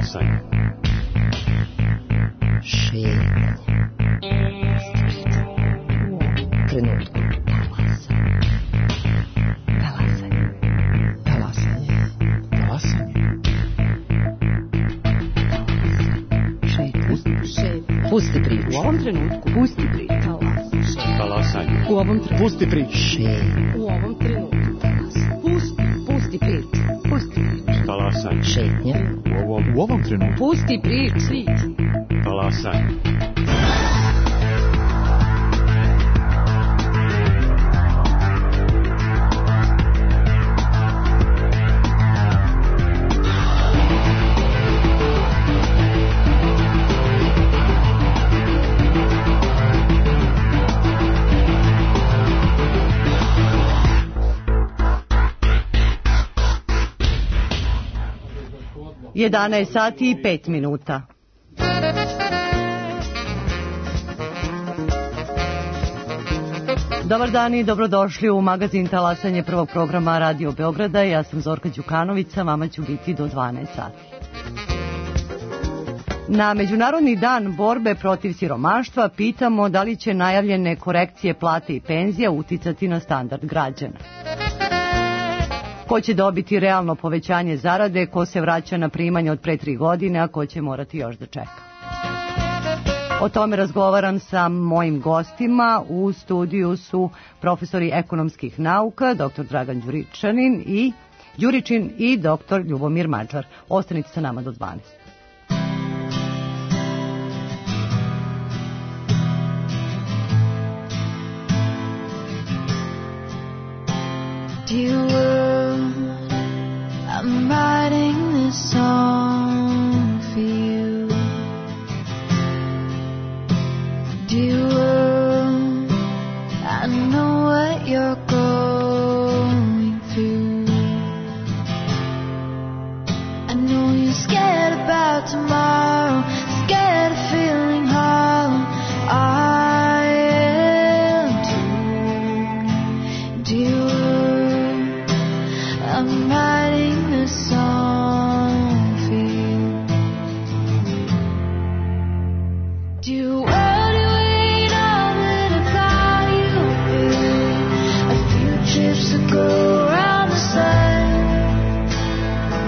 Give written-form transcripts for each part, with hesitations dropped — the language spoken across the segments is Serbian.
Talasanje. Šetnje. Trenutku. Talasanje. Talasanje. Talasanje. Šetnje. Pusti priču. U ovom trenutku. Pusti priču. Talasanje. U ovom trenutku. Pusti priču. Šetnje. U ovom trenutku. Pusti priču. Pusti priču. Talasanje. Šetnje. U ovom trenutku. Pusti priču. Talasanje. Jedanaest sati i 5 minuta. Dobar dan i dobrodošli u magazin Talasanje prvog programa Radio Beograda. Ja sam Zorka Đukanović, vama ću biti do 12 sati. Na Međunarodni dan borbe protiv siromaštva pitamo da li će najavljene korekcije plate i penzija uticati na standard građana. Ko će dobiti realno povećanje zarade, ko se vraća na primanje od pre 3 godine, a ko će morati još da čeka. O tome razgovaram sa mojim gostima. U studiju su profesori ekonomskih nauka, dr. Dragan Đuričin i dr. Ljubomir Mađar. Ostanite sa nama do 12. I'm writing this song for you. Dear world, I know what you're going through. I know you're scared about tomorrow, scared of feeling hollow. I am too. Dear world, I'm writing this song for you. Do you world you ain't all that I thought you would be? A few trips to go around the sun.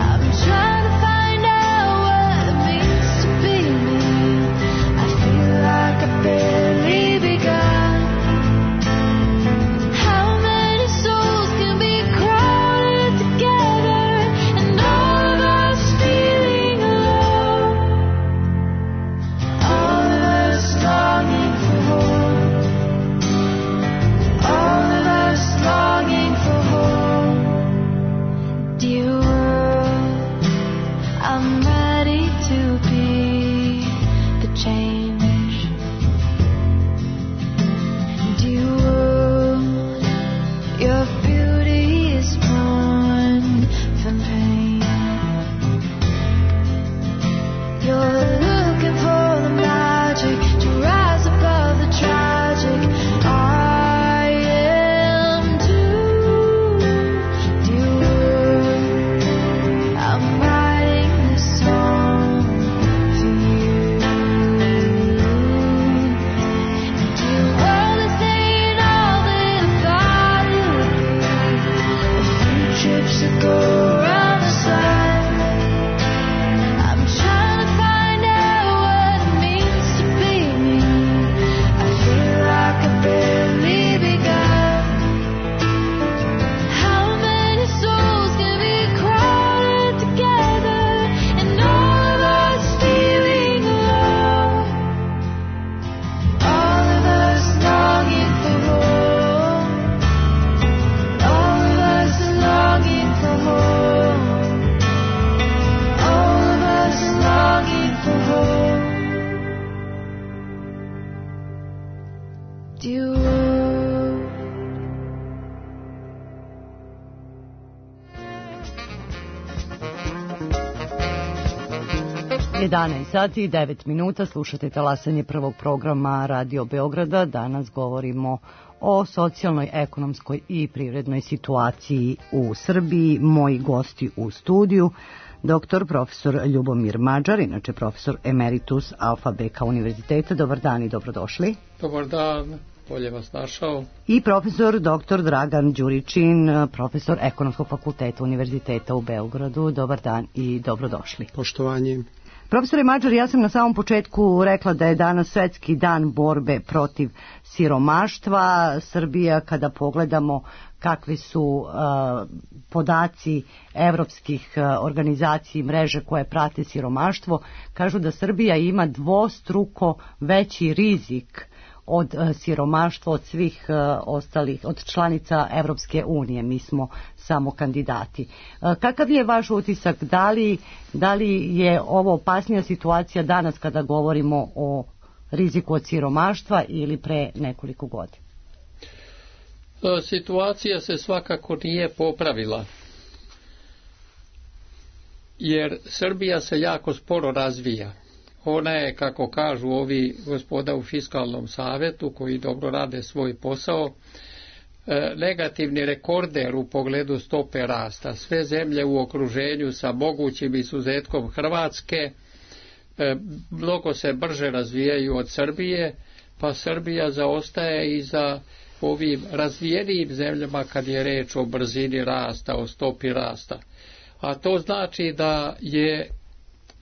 I'm trying to find out what it means to be me. I feel like I barely begun. How many souls can be crowded together and all of us feeling alone? All of us longing for home. All of us longing for home. Dear world, I'm ready to be the change. Dear world, your beauty is born from pain. You're looking for the magic to rise above the tragic. I am too. Dear world, I'm writing this song for you. Dear world, this ain't all that I thought it would be. A few trips to go around the sun. I'm trying to find out what it means to be me. I feel like I barely begun. How many souls can be crowded together and all of us feeling alone? All of us longing for home. All of us longing for home. All of us longing for home. Dear world. 11 sati i 9 minuta, slušate Talasanje prvog programa Radio Beograda. Danas govorimo o socijalnoj, ekonomskoj i privrednoj situaciji u Srbiji. Moji gosti u studiju: Dr. profesor Ljubomir Mađar, inače profesor emeritus Alfa Beka univerziteta. Dobar dan i dobrodošli. Dobar dan, bolje vas našao. I profesor dr. Dragan Đuričin, profesor Ekonomskog fakulteta Univerziteta u Beogradu. Dobar dan i dobrodošli. Poštovanje. Profesore Mađar, ja sam na samom početku rekla da je danas Svetski dan borbe protiv siromaštva. Srbija, kada pogledamo kakvi su podaci evropskih organizacija i mreže koje prate siromaštvo, kažu da Srbija ima dvostruko veći rizik od siromaštva od svih ostalih, od članica Evropske unije. Mi smo samo kandidati. Kakav je vaš utisak? Da li je ovo opasnija situacija danas kada govorimo o riziku od siromaštva ili pre nekoliko godina? Situacija se svakako nije popravila, jer Srbija se jako sporo razvija. Ona je, kako kažu ovi gospoda u Fiskalnom savetu koji dobro rade svoj posao, negativni rekorder u pogledu stope rasta. Sve zemlje u okruženju sa mogućim izuzetkom Hrvatske mnogo se brže razvijaju od Srbije, pa Srbija zaostaje i za ovim razvijenijim zemljama kad je reč o brzini rasta, o stopi rasta. A to znači da je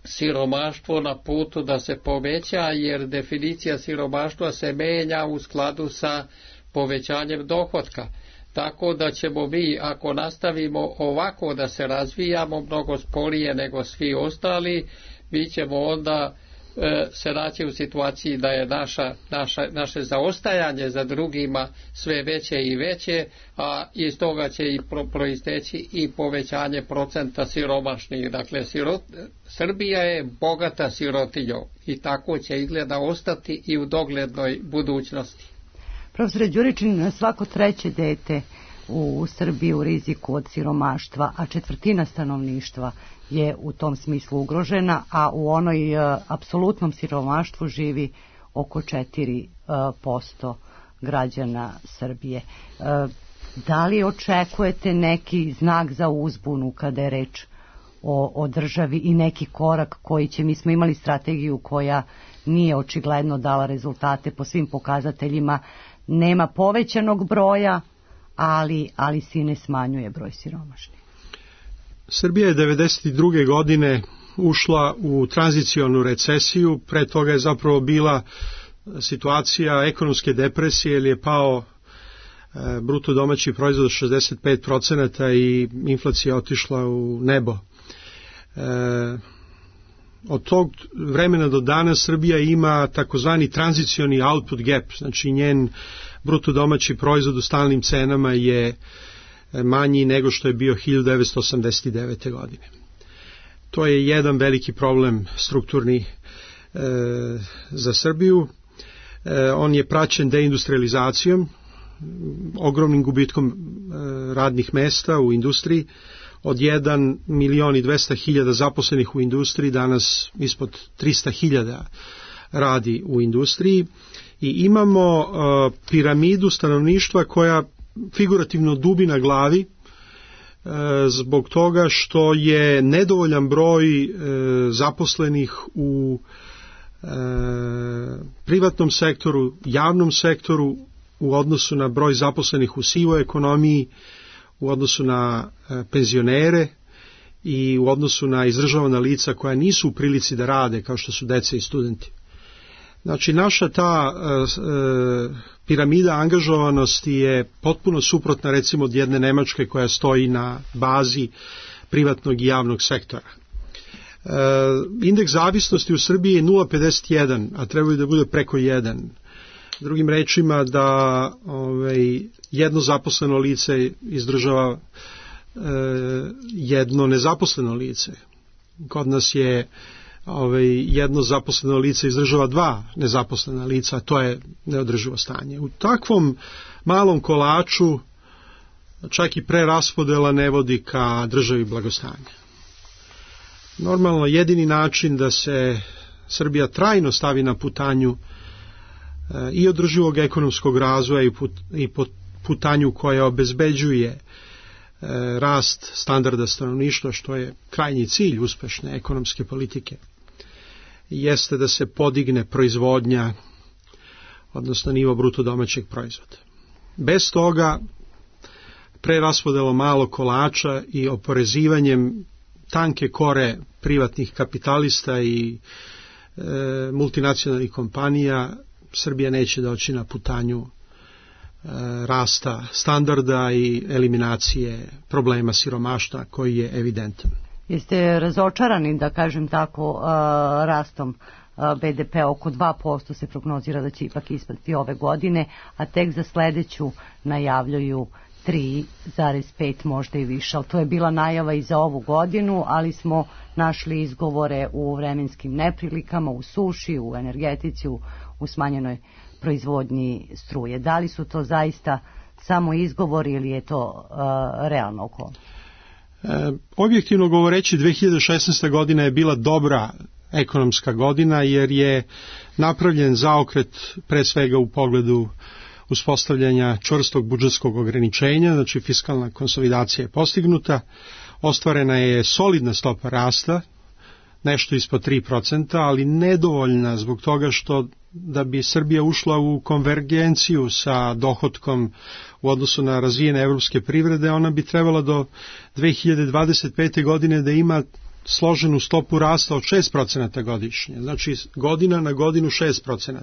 siromaštvo na putu da se poveća, jer definicija siromaštva se menja u skladu sa povećanjem dohotka. Tako da ćemo mi, ako nastavimo ovako da se razvijamo mnogo sporije nego svi ostali, mi ćemo onda se naći u situaciji da je naše zaostajanje za drugima sve veće i veće, a iz toga će i proisteći i povećanje procenta siromašnih. Dakle, Srbija je bogata sirotinjom i tako će izgleda ostati i u doglednoj budućnosti. Profesore Đuričin, svako treće dete u Srbiji u riziku od siromaštva, a četvrtina stanovništva je u tom smislu ugrožena, a u onoj apsolutnom siromaštvu živi oko 4% građana Srbije. Da li očekujete neki znak za uzbunu kada je reč o državi i neki korak koji će, mi smo imali strategiju koja nije očigledno dala rezultate po svim pokazateljima, nema povećanog broja, ali se ne smanjuje broj siromašnih. Srbija je 1992. godine ušla u tranzicionu recesiju, pre toga je zapravo bila situacija ekonomske depresije, jer je pao bruto domaći proizvod 65% i inflacija otišla u nebo. Od tog vremena do danas Srbija ima takozvani tranzicioni output gap, znači njen bruto domaći proizvod u stalnim cenama je manji nego što je bio 1989. godine. To je jedan veliki problem strukturni za Srbiju. On je praćen deindustrializacijom, ogromnim gubitkom radnih mesta u industriji. Od 1.200.000 zaposlenih u industriji, danas ispod 300.000 radi u industriji. I imamo piramidu stanovništva koja figurativno dubi na glavi zbog toga što je nedovoljan broj zaposlenih u privatnom sektoru, javnom sektoru u odnosu na broj zaposlenih u sivoj ekonomiji, u odnosu na penzionere i u odnosu na izdržavana lica koja nisu u prilici da rade kao što su deca i studenti. Znači, naša ta piramida angažovanosti je potpuno suprotna recimo od jedne Nemačke koja stoji na bazi privatnog i javnog sektora. Indeks zavisnosti u Srbiji je 0,51, a trebaju da bude preko 1. Drugim rečima da jedno zaposleno lice izdržava jedno nezaposleno lice. Kod nas je jedno zaposleno lice izdržava dva nezaposlena lica, a to je neodrživo stanje. U takvom malom kolaču čak i preraspodela ne vodi ka državi blagostanja. Normalno, jedini način da se Srbija trajno stavi na putanju i održivog ekonomskog razvoja i putanju koja obezbeđuje rast standarda stanovništva, što je krajnji cilj uspešne ekonomske politike, jeste da se podigne proizvodnja, odnosno nivo bruto domaćeg proizvoda. Bez toga preraspodelom malog kolača i oporezivanjem tanke kore privatnih kapitalista i multinacionalnih kompanija Srbija neće doći na putanju rasta standarda i eliminacije problema siromaštva koji je evidentan. Jeste razočarani, da kažem tako, rastom BDP oko 2% se prognozira da će ipak ispasti ove godine, a tek za sledeću najavljuju 3,5, možda i više, ali to je bila najava i za ovu godinu, ali smo našli izgovore u vremenskim neprilikama, u suši, u energetici, u smanjenoj proizvodnji struje. Da li su to zaista samo izgovori ili je to realno okolnost? Objektivno govoreći, 2016. godina je bila dobra ekonomska godina jer je napravljen zaokret pre svega u pogledu uspostavljanja čvrstog budžetskog ograničenja, znači fiskalna konsolidacija je postignuta, ostvarena je solidna stopa rasta, nešto ispod 3%, ali nedovoljna zbog toga što da bi Srbija ušla u konvergenciju sa dohotkom u odnosu na razvijene evropske privrede, ona bi trebala do 2025. godine da ima složenu stopu rasta od 6% godišnje, znači godina na godinu 6%.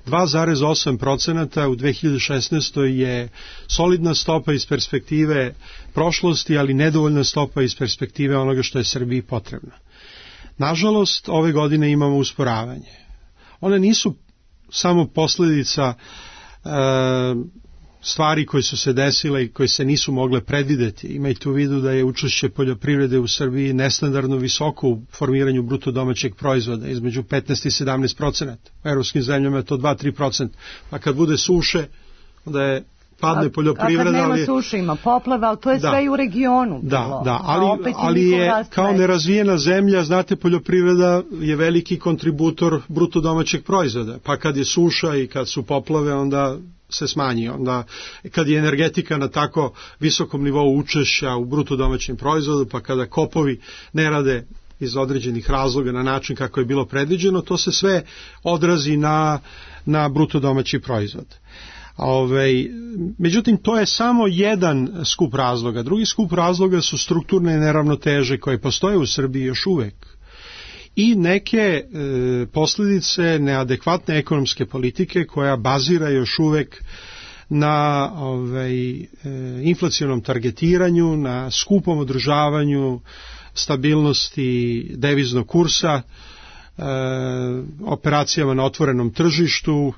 2,8% u 2016. je solidna stopa iz perspektive prošlosti, ali nedovoljna stopa iz perspektive onoga što je Srbiji potrebno. Nažalost, ove godine imamo usporavanje. One nisu samo posljedica stvari koje su se desile i koje se nisu mogle predvideti. Imajte u vidu da je učešće poljoprivrede u Srbiji nestandardno visoko u formiranju bruto domaćeg proizvoda, između 15 i 17%. U evropskim zemljama je to 2-3%. Pa kad bude suše, onda je padne poljoprivreda. A kad nema suše, ima poplava, ali to je sve i u regionu bilo. Da, ali je kao nerazvijena zemlja, znate, poljoprivreda je veliki kontributor bruto domaćeg proizvoda. Pa kad je suša i kad su poplave, onda se smanji. Onda kad je energetika na tako visokom nivou učešća u bruto domaćem proizvodu, pa kada kopovi ne rade iz određenih razloga na način kako je bilo predviđeno, to se sve odrazi na bruto domaći proizvod. Međutim, to je samo jedan skup razloga. Drugi skup razloga su strukturne neravnoteže koje postoje u Srbiji još uvek i neke posljedice neadekvatne ekonomske politike koja bazira još uvek na inflacionom targetiranju, na skupom održavanju stabilnosti deviznog kursa, operacijama na otvorenom tržištu,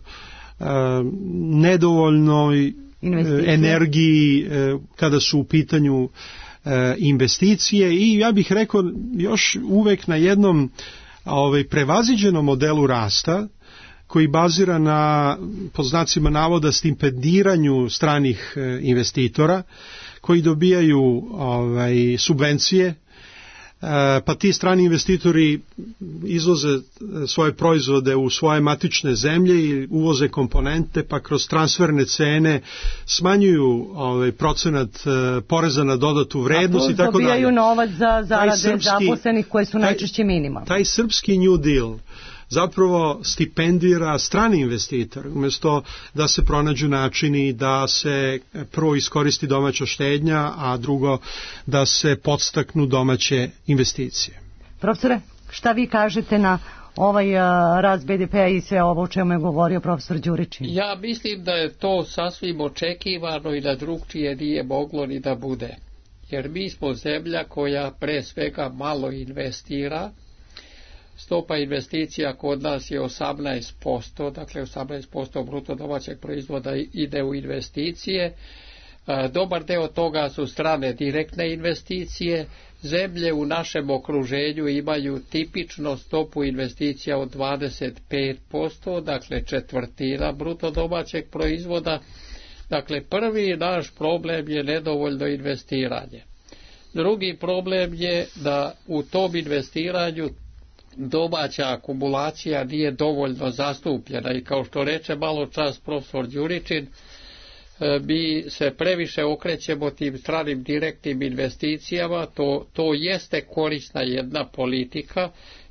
nedovoljnoj energiji kada su u pitanju investicije i ja bih rekao još uvek na jednom prevaziđenom modelu rasta koji bazira na, po znacima navoda, stipendiranju stranih investitora koji dobijaju subvencije, pa ti strani investitori izvoze svoje proizvode u svoje matične zemlje i uvoze komponente, pa kroz transferne cene smanjuju procenat poreza na dodatu vrednost i tako dalje. Dobijaju novac za zarade zaposlenih koje su najčešće minimalne. Taj srpski New Deal zapravo stipendira strani investitor, umjesto da se pronađu načini da se prvo iskoristi domaća štednja, a drugo da se podstaknu domaće investicije. Profesore, šta vi kažete na ovaj rast BDP-a i sve ovo o čemu je govorio profesor Đuričin? Ja mislim da je to sasvim očekivano i da drugčije nije moglo ni da bude. Jer mi smo zemlja koja pre svega malo investira. Stopa investicija kod nas je 18%, dakle 18% bruto domaćeg proizvoda ide u investicije. Dobar deo toga su strane direktne investicije. Zemlje u našem okruženju imaju tipično stopu investicija od 25%, dakle četvrtina bruto domaćeg proizvoda. Dakle, prvi naš problem je nedovoljno investiranje. Drugi problem je da u tom investiranju domaća akumulacija nije dovoljno zastupljena i kao što reče malo čas profesor Đuričin, mi se previše okrećemo tim stranim direktnim investicijama, to jeste korisna jedna politika,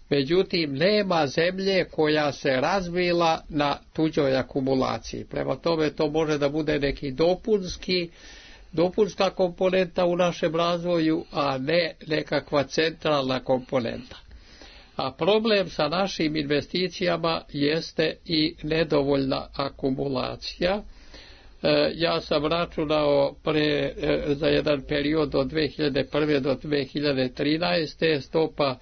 međutim nema zemlje koja se razvila na tuđoj akumulaciji. Prema tome to može da bude neki dopunska komponenta u našem razvoju, a ne nekakva centralna komponenta. A problem sa našim investicijama jeste i nedovoljna akumulacija. Ja sam računao za jedan period od 2001. do 2013. stopa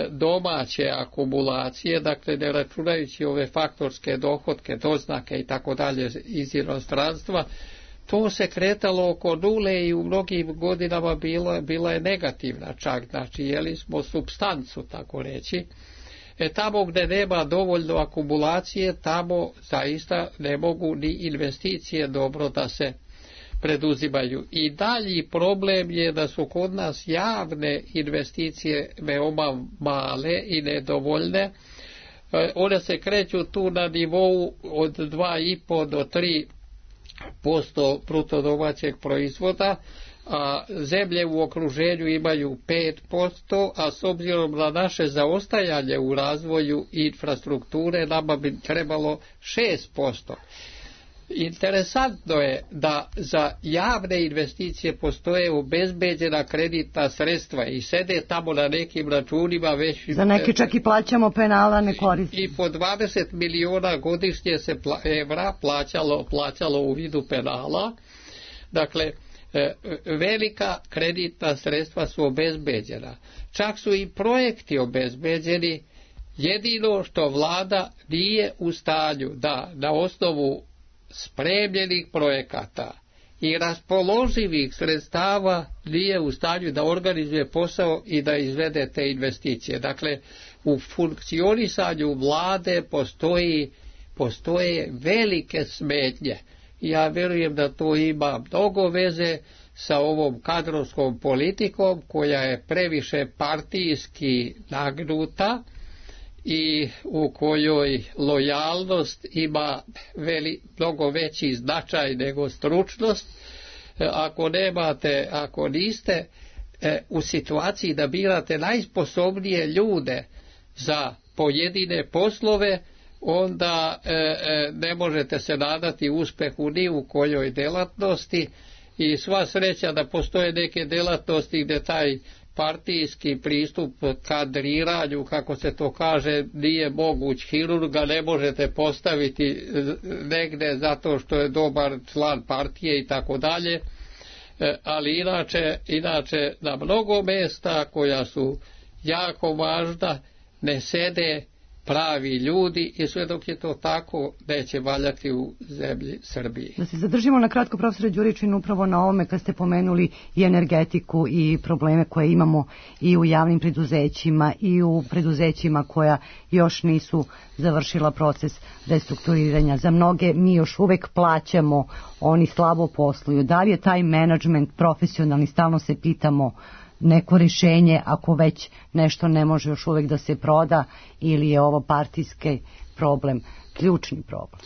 domaće akumulacije, dakle ne računajući ove faktorske dohotke, doznake i tako dalje iz inostranstva, to se kretalo oko nule i u mnogim godinama bila je negativna čak, znači jeli smo supstancu, tako reći. Tamo gdje nema dovoljno akumulacije, tamo zaista ne mogu ni investicije dobro da se preduzimaju. I dalji problem je da su kod nas javne investicije veoma male i nedovoljne. One se kreću tu na nivou od 2,5 do 3% bruto domaćeg proizvoda, a zemlje u okruženju imaju 5%, a s obzirom na naše zaostajanje u razvoju infrastrukture nama bi trebalo 6%. Interesantno je da za javne investicije postoje obezbeđena kreditna sredstva i sede tamo na nekim računima već... Za neke čak i plaćamo penala, ne koristimo. I po 20 miliona godišnje se evra plaćalo u vidu penala. Dakle, velika kreditna sredstva su obezbeđena. Čak su i projekti obezbeđeni, jedino što vlada nije u stanju da na osnovu spremljenih projekata i raspoloživih sredstava nije u stanju da organizuje posao i da izvede te investicije. Dakle, u funkcionisanju vlade postoje velike smetnje. Ja vjerujem da to ima mnogo veze sa ovom kadrovskom politikom koja je previše partijski nagnuta i u kojoj lojalnost ima mnogo veći značaj nego stručnost. Ako niste u situaciji da birate najsposobnije ljude za pojedine poslove, onda ne možete se nadati uspehu ni u kojoj delatnosti i sva sreća da postoje neke delatnosti gdje taj partijski pristup kadriranju, kako se to kaže, nije moguć. Hirurga ne možete postaviti negde zato što je dobar član partije i tako dalje, ali inače na mnogo mjesta koja su jako važna ne sede pravi ljudi i sve dok je to tako neće valjati u zemlji Srbiji. Da se zadržimo na kratko, profesore Đuričin, upravo na ovome kad ste pomenuli i energetiku i probleme koje imamo i u javnim preduzećima i u preduzećima koja još nisu završila proces restrukturiranja. Za mnoge mi još uvek plaćamo, oni slabo posluju. Da li je taj menadžment profesionalni, stalno se pitamo, neko rješenje ako već nešto ne može još uvijek da se proda, ili je ovo partijski problem, ključni problem?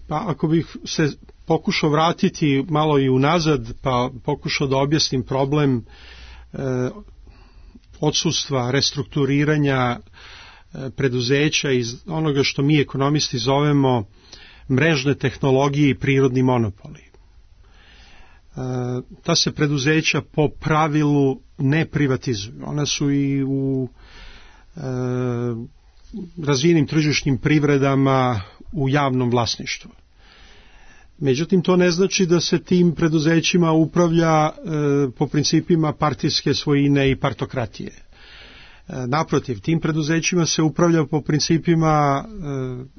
Pa ako bih se pokušao vratiti malo i unazad, pa pokušao da objasnim problem odsustva, restrukturiranja preduzeća iz onoga što mi ekonomisti zovemo mrežne tehnologije i prirodni monopoli. Ta se preduzeća po pravilu ne privatizuju. Ona su i u razvijenim tržišnim privredama u javnom vlasništvu. Međutim, to ne znači da se tim preduzećima upravlja po principima partijske svojine i partokratije. Naprotiv, tim preduzećima se upravlja po principima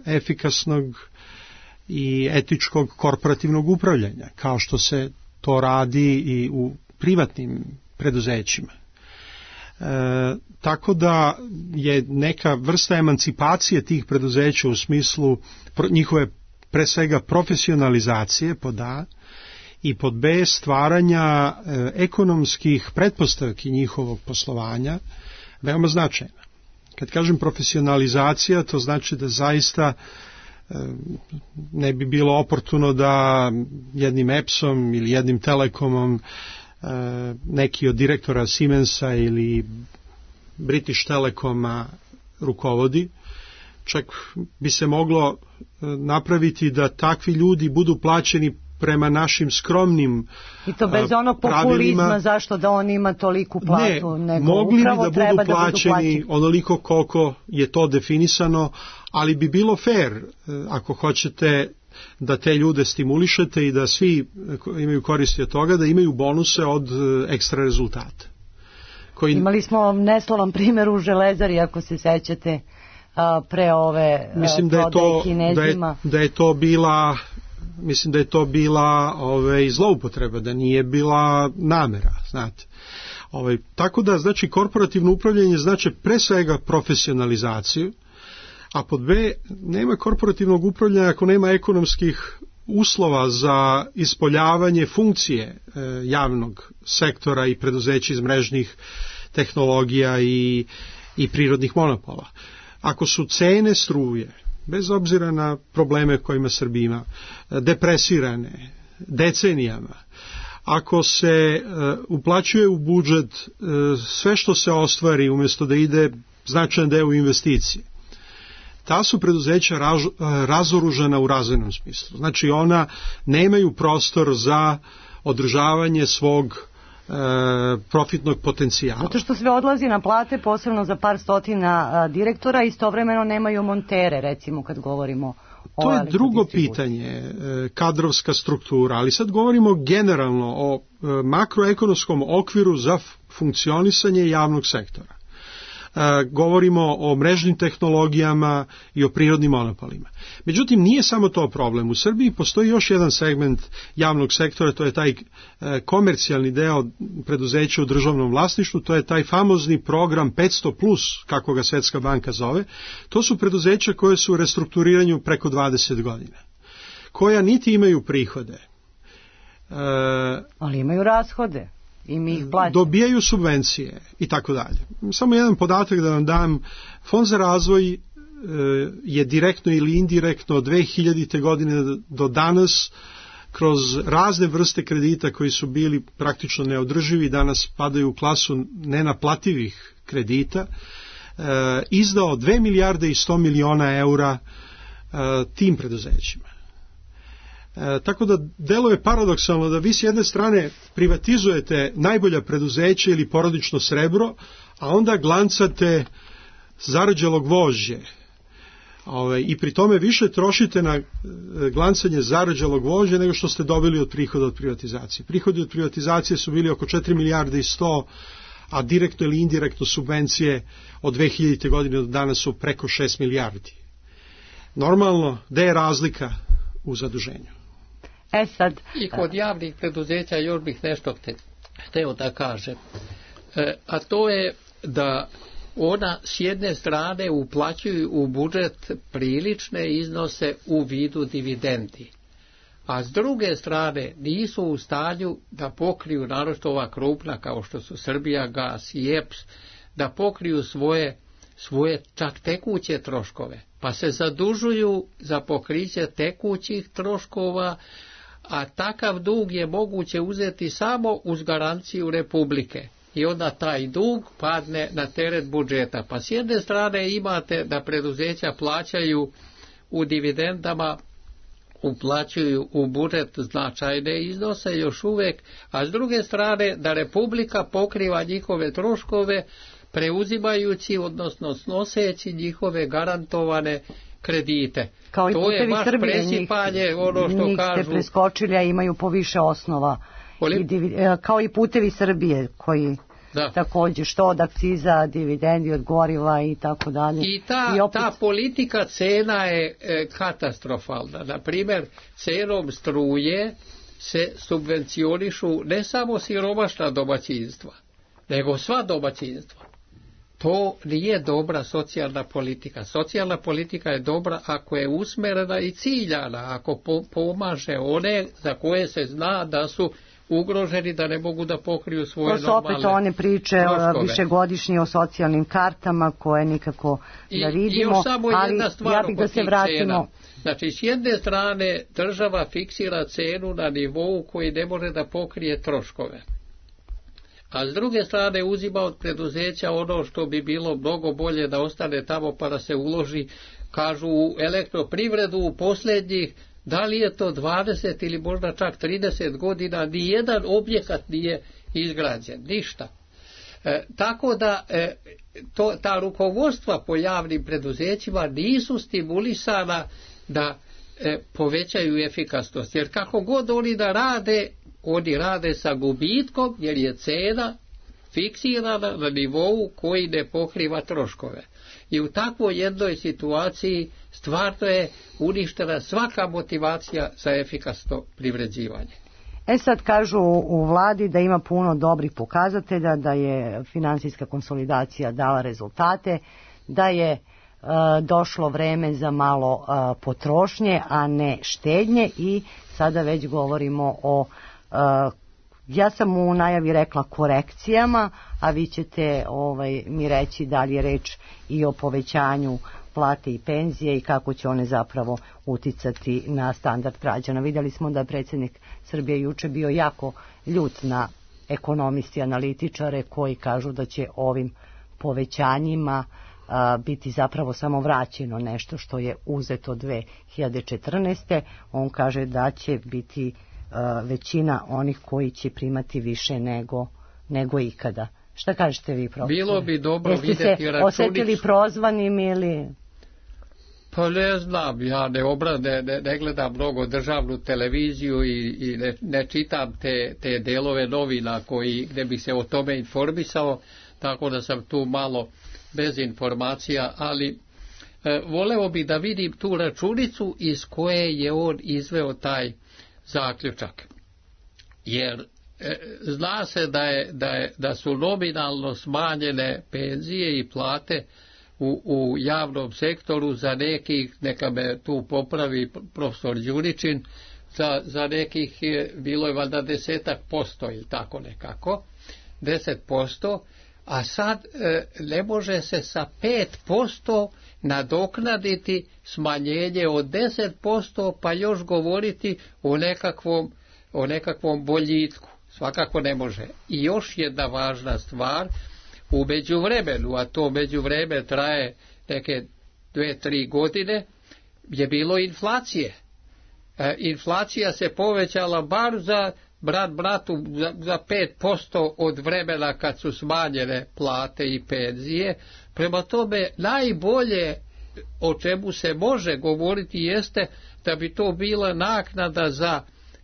efikasnog i etičkog korporativnog upravljanja, kao što se to radi i u privatnim preduzećima. Tako da je neka vrsta emancipacije tih preduzeća u smislu njihove pre svega profesionalizacije pod A i pod B stvaranja ekonomskih pretpostavki njihovog poslovanja veoma značajna. Kad kažem profesionalizacija, to znači da zaista ne bi bilo oportuno da jednim EPS-om ili jednim Telekomom neki od direktora Siemensa ili British Telekoma rukovodi. Čak bi se moglo napraviti da takvi ljudi budu plaćeni prema našim skromnim I to bez onog populizma, zašto da on ima toliku platu. Ne, mogli bi da budu plaćeni onoliko koliko je to definisano, ali bi bilo fair ako hoćete da te ljude stimulišete i da svi imaju koristi od toga, da imaju bonuse od ekstra rezultata. Imali smo neslavan primjer u Železari, ako se sećate, pre ove prodaje Kinezima. Mislim da je to bila zloupotreba, da nije bila namera, znate. Tako da, znači, korporativno upravljanje znači pre svega profesionalizaciju, a pod B, nema korporativnog upravljanja ako nema ekonomskih uslova za ispoljavanje funkcije javnog sektora i preduzeća iz mrežnih tehnologija i prirodnih monopola. Ako su cene struje, bez obzira na probleme kojima Srbija ima, depresirane decenijama, ako se uplaćuje u budžet sve što se ostvari umjesto da ide značajan deo u investicije, ta su preduzeća razoružana u razvojnom smislu. Znači ona nemaju prostor za održavanje svog profitnog potencijala. Zato što sve odlazi na plate, posebno za par stotina direktora, istovremeno nemaju montere, recimo kad govorimo o... To je drugo pitanje, kadrovska struktura, ali sad govorimo generalno o makroekonomskom okviru za funkcionisanje javnog sektora. Govorimo o mrežnim tehnologijama i o prirodnim monopolima. Međutim, nije samo to problem. U Srbiji postoji još jedan segment javnog sektora, to je taj komercijalni deo preduzeća u državnom vlasništvu, to je taj famozni program 500+, kako ga Svetska banka zove. To su preduzeća koje su u restrukturiranju preko 20 godina, koja niti imaju prihode. Ali imaju rashode. Dobijaju subvencije i tako dalje. Samo jedan podatak da vam dam. Fond za razvoj je direktno ili indirektno od 2000. godine do danas kroz razne vrste kredita koji su bili praktično neodrživi, danas padaju u klasu nenaplativih kredita, izdao 2 milijarde i 100 miliona eura tim preduzećima. Tako da deluje paradoksalno da vi s jedne strane privatizujete najbolja preduzeća ili porodično srebro, a onda glancate zarađelog vožđe. I pri tome više trošite na glancanje zarađelog vožđe nego što ste dobili od prihoda od privatizacije. Prihodi od privatizacije su bili oko 4 milijarde i 100, a direktno ili indirektno subvencije od 2000. godine do danas su preko 6 milijardi. Normalno, gde je razlika u zaduženju? Sad. I kod javnih preduzeća još bih nešto hteo da kažem. A to je da ona s jedne strane uplaćuju u budžet prilične iznose u vidu dividendi, a s druge strane nisu u stanju da pokriju, naročito ova krupna kao što su Srbijagas i EPS, da pokriju svoje čak tekuće troškove, pa se zadužuju za pokriće tekućih troškova, a takav dug je moguće uzeti samo uz garanciju Republike. I onda taj dug padne na teret budžeta. Pa s jedne strane imate da preduzeća plaćaju u dividendama, uplaćuju u budžet značajne iznose još uvek, a s druge strane da Republika pokriva njihove troškove preuzimajući, odnosno snoseći njihove garantovane kredite. Kao to je baš presipanje, ono što njih kažu. Njih ste preskočili, a imaju po više osnova. Kao i Putevi Srbije, koji također što od akciza, dividendi od goriva i tako dalje. I ta politika cena je katastrofalna. Naprimjer, cenom struje se subvencionišu ne samo siromašna domaćinstva, nego sva domaćinstva. To nije dobra socijalna politika. Socijalna politika je dobra ako je usmerena i ciljana, ako pomaže one za koje se zna da su ugroženi da ne mogu da pokriju svoje To su normalne opet one priče troškove. višegodišnje o socijalnim kartama koje nikako da vidimo, I još samo ali jedna stvar ja bih da oko se tih vratimo. cena. Znači, s jedne strane država fiksira cenu na nivou koji ne može da pokrije troškove. A s druge strane uzima od preduzeća ono što bi bilo mnogo bolje da ostane tamo pa da se uloži, kažu, u elektroprivredu u posljednjih, da li je to 20 ili možda čak 30 godina, nijedan objekat nije izgrađen, ništa. Tako da ta rukovodstva po javnim preduzećima nisu stimulisana da povećaju efikasnost, jer kako god oni da rade, oni rade sa gubitkom, jer je cena fiksirana na nivou koji ne pokriva troškove. I u takvoj jednoj situaciji stvarno je uništena svaka motivacija za efikasno privređivanje. Sad kažu u vladi da ima puno dobrih pokazatelja, da je finansijska konsolidacija dala rezultate, da je došlo vreme za malo potrošnje, a ne štednje, i sada već govorimo o, ja sam u najavi rekla korekcijama, a vi ćete mi reći da li je reč i o povećanju plate i penzije i kako će one zapravo uticati na standard građana. Vidjeli smo da je predsjednik Srbije juče bio jako ljut na ekonomisti, analitičare koji kažu da će ovim povećanjima biti zapravo samo vraćeno nešto što je uzeto 2014. On kaže da će biti većina onih koji će primati više nego ikada. Šta kažete vi, profesor? Bilo bi dobro Jeste vidjeti se računicu. osjetili prozvanim ili... Pa ne znam, ja ne gledam mnogo državnu televiziju i ne čitam te delove novina gdje bi se o tome informisao, tako da sam tu malo bez informacija, ali voleo bi da vidim tu računicu iz koje je on izveo taj zaključak. Jer zna se da su nominalno smanjene penzije i plate u javnom sektoru za nekih, neka me tu popravi profesor Đuričin, za nekih bilo je valjda 10% ili tako nekako, 10%, a sad ne može se sa 5% nadoknaditi smanjenje od 10%, pa još govoriti o nekakvom boljitku. Svakako ne može. I još jedna važna stvar, u međuvremenu, a to međuvreme traje neke 2-3 godine, je bilo inflacije. Inflacija se povećala bar za bratu za 5% od vremena kad su smanjene plate i penzije. Prema tome, najbolje o čemu se može govoriti jeste da bi to bila naknada za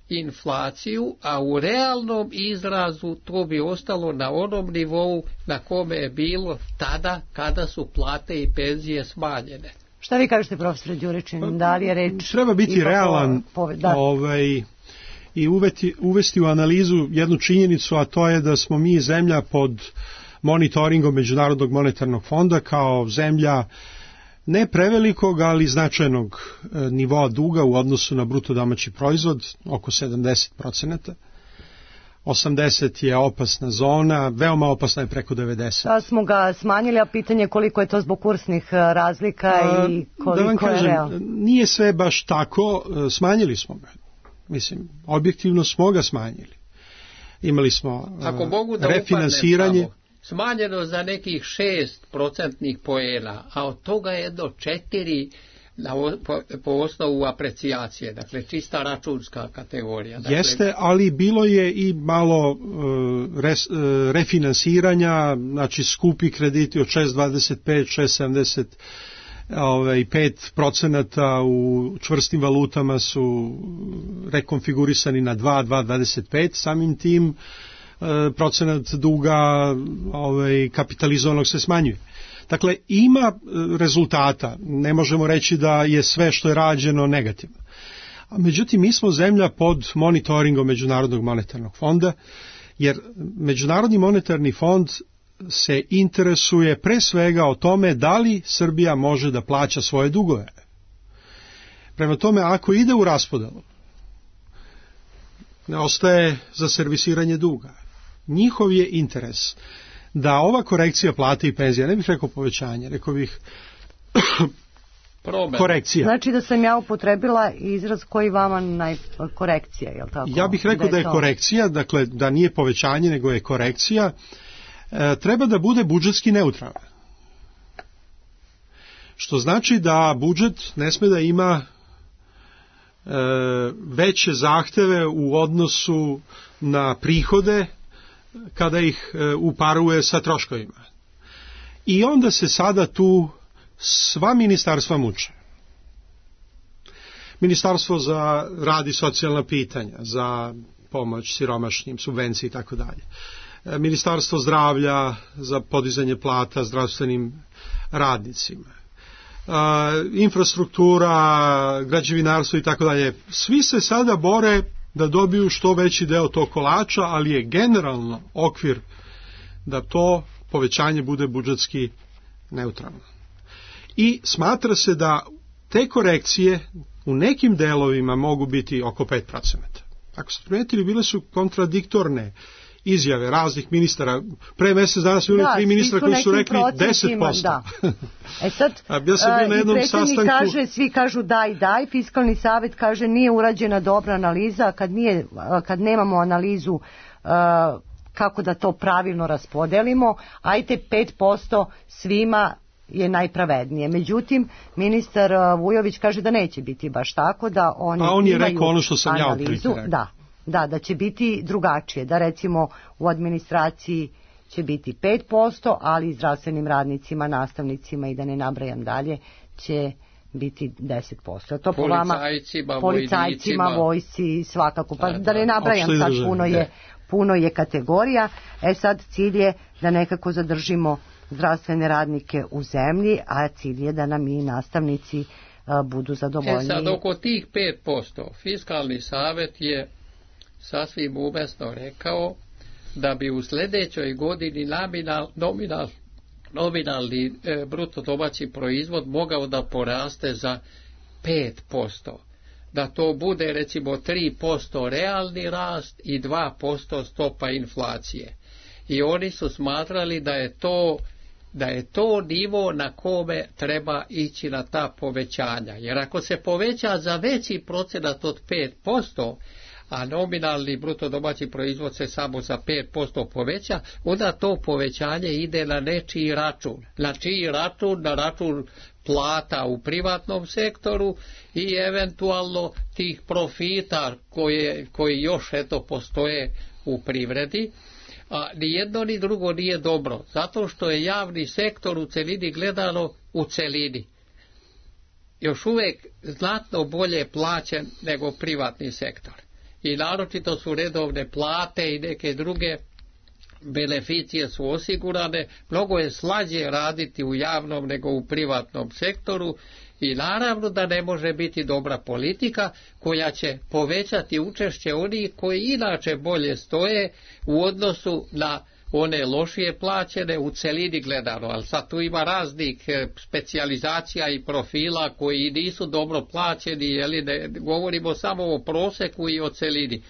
inflaciju, a u realnom izrazu to bi ostalo na onom nivou na kome je bilo tada kada su plate i penzije smanjene. Šta vi kažete, profesor Đuričin? Da li je reč... Treba biti realan i uvesti u analizu jednu činjenicu, a to je da smo mi zemlja pod monitoringom Međunarodnog monetarnog fonda, kao zemlja ne prevelikog, ali značajnog nivoa duga u odnosu na bruto domaći proizvod, oko 70%. 80 je opasna zona, veoma opasna je preko 90. Da smo ga smanjili, a pitanje koliko je to zbog kursnih razlika i koliko da vam kažem, je realno? Nije sve baš tako, smanjili smo ga. Mislim, objektivno smo ga smanjili. Imali smo refinansiranje. Smanjeno za nekih 6% poena, a od toga je do 4 po osnovu aprecijacije, dakle čista računska kategorija. Dakle, jeste, ali bilo je i malo refinansiranja, znači skupi krediti od 6,25, 6,75% u čvrstim valutama su rekonfigurisani na 2,25, samim tim procenat duga kapitalizovanog se smanjuje. Dakle, ima rezultata, ne možemo reći da je sve što je rađeno negativno. Međutim, mi smo zemlja pod monitoringom Međunarodnog monetarnog fonda, jer Međunarodni monetarni fond se interesuje pre svega o tome da li Srbija može da plaća svoje dugove. Prema tome, ako ide u raspodelu, ne ostaje za servisiranje duga. Njihov je interes da ova korekcija plate i penzija, ne bih rekao povećanje, rekao bih korekcija. Znači da sam ja upotrebila izraz koji vama korekcija, je li tako? Ja bih rekao da je korekcija, dakle da nije povećanje nego je korekcija, treba da bude budžetski neutralan. Što znači da budžet ne sme da ima veće zahteve u odnosu na prihode kada ih uparuje sa troškovima. I onda se sada tu sva ministarstva muče. Ministarstvo za rad i socijalna pitanja, za pomoć siromašnim, subvencije i tako dalje. Ministarstvo zdravlja za podizanje plata zdravstvenim radnicima. Infrastruktura, građevinarstvo i tako dalje. Svi se sada bore da dobiju što veći deo tog kolača, ali je generalno okvir da to povećanje bude budžetski neutralno. I smatra se da te korekcije u nekim delovima mogu biti oko 5%. Ako ste primetili, bile su kontradiktorne izjave raznih ministara. Pre mesec dana su bili 3 ministra koji su rekli 10%. Da. Sad, ja sam bio na jednom sastanku. Kaže, svi kažu daj, Fiskalni savet kaže nije urađena dobra analiza, kad nemamo analizu kako da to pravilno raspodelimo, ajte 5% svima je najpravednije. Međutim, ministar Vujović kaže da neće biti baš tako, da oni on je imaju rekao ono što sam analizu, da će biti drugačije, da recimo u administraciji će biti 5%, ali zdravstvenim radnicima, nastavnicima i da ne nabrajam dalje će biti 10%. To po vama policajcima, vojsci svakako, pa da ne nabrajam sad, puno je kategorija. Sad cilj je da nekako zadržimo zdravstvene radnike u zemlji, a cilj je da nam i nastavnici budu zadovoljni. Sad oko tih 5% Fiskalni savet je sasvim umesno rekao da bi u sljedećoj godini nominalni bruto domaći proizvod mogao da poraste za 5%. Da to bude recimo 3% realni rast i 2% stopa inflacije. I oni su smatrali da je to nivo na kome treba ići na ta povećanja. Jer ako se poveća za veći procenat od 5%, a nominalni bruto domaći proizvod se samo za 5% poveća, onda to povećanje ide na nečiji račun. Na čiji račun? Na račun plata u privatnom sektoru i eventualno tih profita koji još postoje u privredi. A ni jedno ni drugo nije dobro, zato što je javni sektor u celini gledano u celini još uvijek znatno bolje plaćen nego privatni sektor. I naročito su redovne plate i neke druge beneficije su osigurane, mnogo je slađe raditi u javnom nego u privatnom sektoru i naravno da ne može biti dobra politika koja će povećati učešće onih koji inače bolje stoje u odnosu na one lošije plaćene u celini gledano, ali sad tu ima raznih specijalizacija i profila koji nisu dobro plaćeni, ne govorimo samo o proseku i o celini.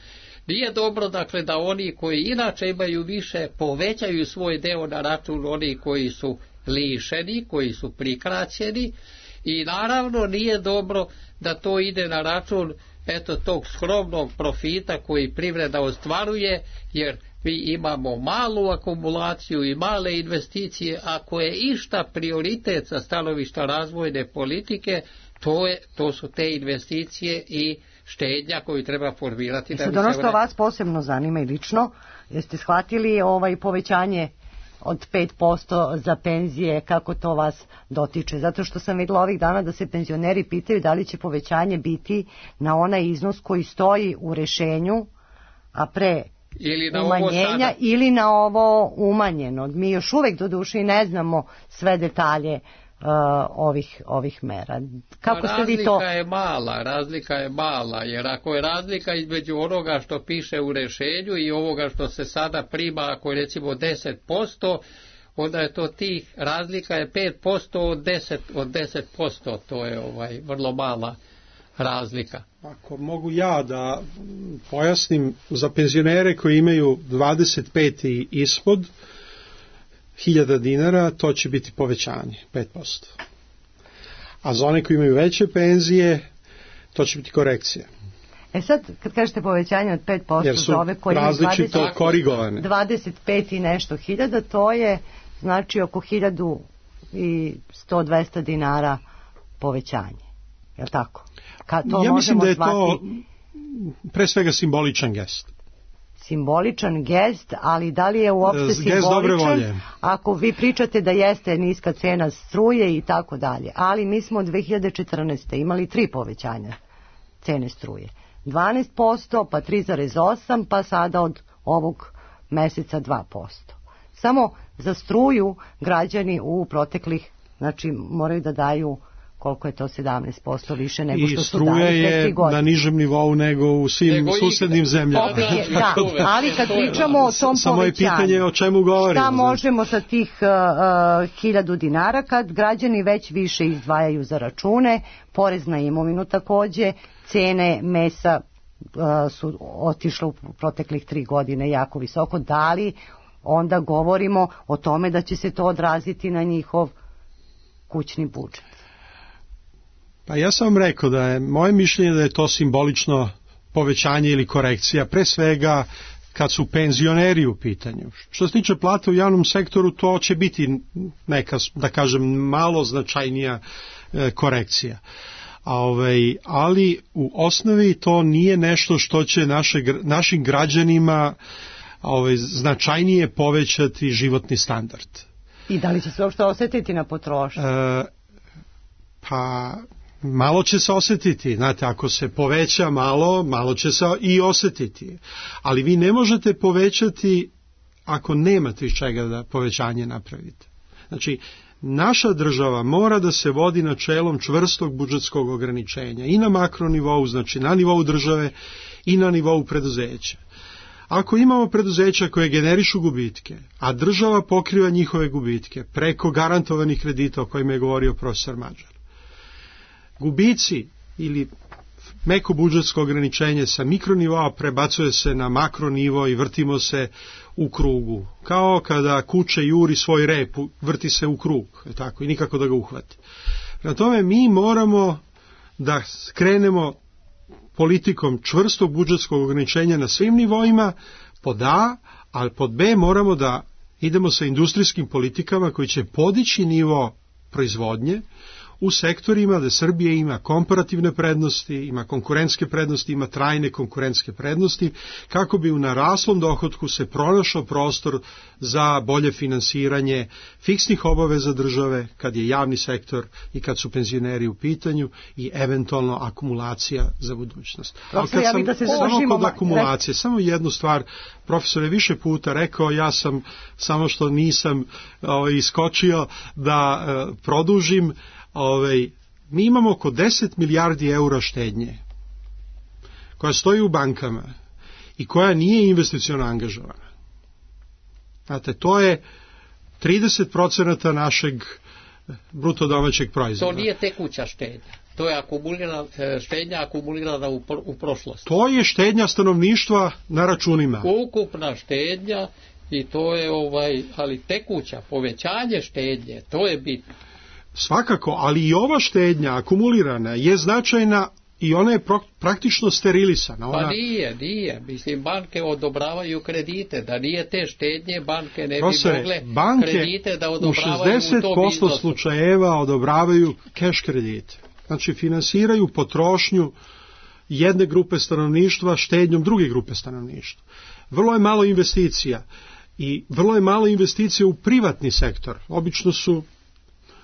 Nije dobro dakle da oni koji inače imaju više povećaju svoj deo na račun onih koji su lišeni, koji su prikraćeni i naravno nije dobro da to ide na račun tog skromnog profita koji privreda ostvaruje, jer mi imamo malu akumulaciju i male investicije. Ako je išta prioritet sa stanovišta razvojne politike, to su te investicije i štednja koju treba formirati. Ono što vas posebno zanima i lično, jeste shvatili povećanje od 5% za penzije, kako to vas dotiče? Zato što sam vidjela ovih dana da se penzioneri pitaju da li će povećanje biti na onaj iznos koji stoji u rešenju, a pre umanjenja ili na ovo umanjeno. Mi još uvijek doduše i ne znamo sve detalje ovih mera. Kako ste vi to? Razlika je mala, jer ako je razlika između onoga što piše u rešenju i ovoga što se sada prima, ako je recimo 10%, onda je to razlika je 5% od 10%, to je vrlo mala razlika? Ako mogu ja da pojasnim, za penzionere koji imaju 25 i ispod 1000 dinara, to će biti povećanje 5%. A za one koji imaju veće penzije, to će biti korekcija. Sad, kad kažete povećanje od 5% Jer su za ove koji imaju različito korigovane. 25 i nešto hiljada, to je znači oko 1100-200 dinara povećanje. Je li tako? Ja mislim da je to pre svega simboličan gest. Simboličan gest, ali da li je uopšte simboličan ako vi pričate da jeste niska cena struje i tako dalje. Ali mi smo od 2014. imali 3 povećanja cene struje. 12%, pa 3,8%, pa sada od ovog meseca 2%. Samo za struju građani u proteklih, znači moraju da daju, koliko je to, 17% više nego što su dali pre 3 godine. I struja je na nižem nivou nego u svim susednim zemljama. Da, ali kad pričamo o tom samo povećanju, je pitanje o čemu govorimo. Šta možemo sa tih 1000 dinara kad građani već više izdvajaju za račune, porez na imovinu takođe, cene mesa su otišle u proteklih 3 godine jako visoko. Da li onda govorimo o tome da će se to odraziti na njihov kućni budžet? Pa ja sam vam rekao da je moje mišljenje da je to simbolično povećanje ili korekcija, pre svega kad su penzioneri u pitanju. Što se tiče plata u javnom sektoru, to će biti neka, da kažem, malo značajnija korekcija. Ali u osnovi to nije nešto što će našim građanima značajnije povećati životni standard. I da li će se uopšte osjetiti na potrošnju? Pa malo će se osjetiti, znate, ako se poveća malo će se i osjetiti. Ali vi ne možete povećati ako nemate iz čega da povećanje napravite. Znači, naša država mora da se vodi načelom čvrstog budžetskog ograničenja i na makronivou, znači na nivou države i na nivou preduzeća. Ako imamo preduzeća koje generišu gubitke, a država pokriva njihove gubitke preko garantovanih kredita o kojima je govorio profesor Mađar, gubici ili meko budžetsko ograničenje sa mikronivoa prebacuje se na makronivo i vrtimo se u krugu. Kao kada kuče juri svoj rep, vrti se u krug, tako, i nikako da ga uhvati. Prema tome mi moramo da krenemo politikom čvrstog budžetskog ograničenja na svim nivoima, pod A, ali pod B moramo da idemo sa industrijskim politikama koji će podići nivo proizvodnje u sektorima da Srbija ima komparativne prednosti, ima konkurentske prednosti, ima trajne konkurentske prednosti, kako bi u naraslom dohotku se pronašao prostor za bolje finansiranje fiksnih obaveza države, kad je javni sektor i kad su penzioneri u pitanju, i eventualno akumulacija za budućnost. Ali kad samo kod akumulacije, samo jednu stvar, profesor je više puta rekao, ja sam, samo što nisam iskočio da produžim, mi imamo oko 10 milijardi eura štednje koja stoji u bankama i koja nije investiciono angažovana. Znate, to je 30% našeg bruto domaćeg proizvoda. To nije tekuća štednja. To je štednja akumulirana u prošlosti. To je štednja stanovništva na računima. Ukupna štednja, i to je ali tekuća, povećanje štednje, to je bitno. Svakako, ali i ova štednja akumulirana je značajna i ona je praktično sterilisana. Pa nije. Mislim, banke odobravaju kredite. Da nije te štednje, banke ne bi mogle kredite da odobravaju u tom iznosu. U 60% slučajeva odobravaju keš kredite. Znači, finansiraju potrošnju jedne grupe stanovništva štednjom druge grupe stanovništva. Vrlo je malo investicija i vrlo je malo investicija u privatni sektor. Obično su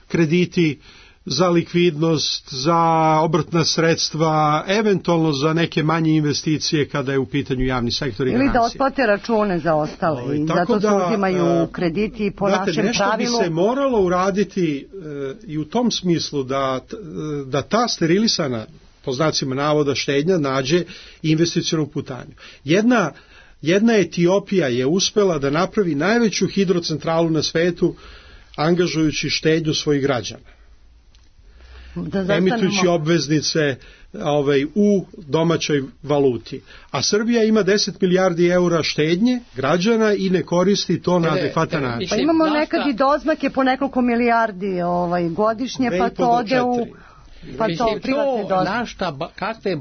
krediti za likvidnost, za obrtna sredstva, eventualno za neke manje investicije kada je u pitanju javni sektor i garancije. Ili da otplate račune za ostale i zato se uzimaju krediti po našem nešto pravilu. Nešto bi se moralo uraditi i u tom smislu da ta sterilisana, po znacima navoda, štednja nađe investicionu putanju. Jedna Etiopija je uspela da napravi najveću hidrocentralu na svetu angažujući štednju svojih građana. emitujući obveznice u domaćoj valuti. A Srbija ima 10 milijardi eura štednje građana i ne koristi to na adekvatan način. Pa imamo nekad i doznake po nekoliko milijardi godišnje, pa to ode u... Kakve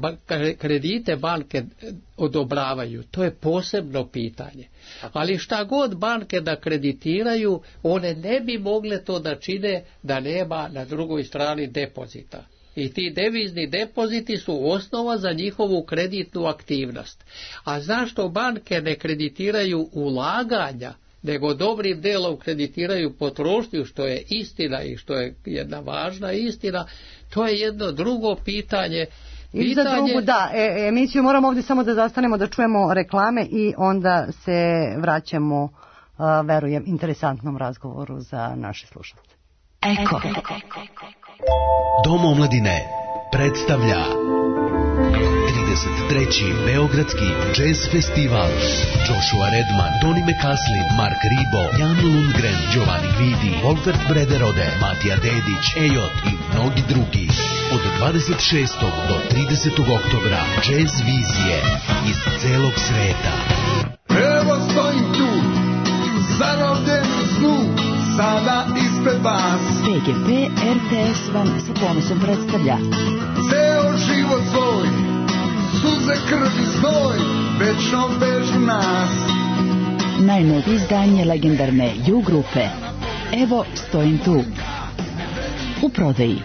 kredite banke odobravaju, to je posebno pitanje. Ali šta god banke da kreditiraju, one ne bi mogle to da čine da nema na drugoj strani depozita. I ti devizni depoziti su osnova za njihovu kreditnu aktivnost. A zašto banke ne kreditiraju ulaganja, nego dobrim delom kreditiraju potrošnju, što je istina i što je jedna važna istina, to je jedno drugo pitanje. I za drugu, emisiju moramo ovdje samo da zastanemo da čujemo reklame i onda se vraćamo, verujem, interesantnom razgovoru za naše slušalce. Eko. Dom omladine predstavlja 33. Beogradski jazz festival. Joshua Redman, Tony McCaslin, Mark Ribot, Jan Lundgren, Giovanni Guidi, Volkert Brederode, Matija Dedić, Ejot i mnogi drugi. Od 26. do 30. oktobra jazz vizije iz celog sveta. Evo stojim tu, zarobljen u snu, sada ispred vas. PGP RTS vam sa ponosom predstavlja Ceo život svoj, suze, krv i znoj, večno vežu nas. najnovije izdanje legendarne U grupe. Evo stojim tu. U prodaji.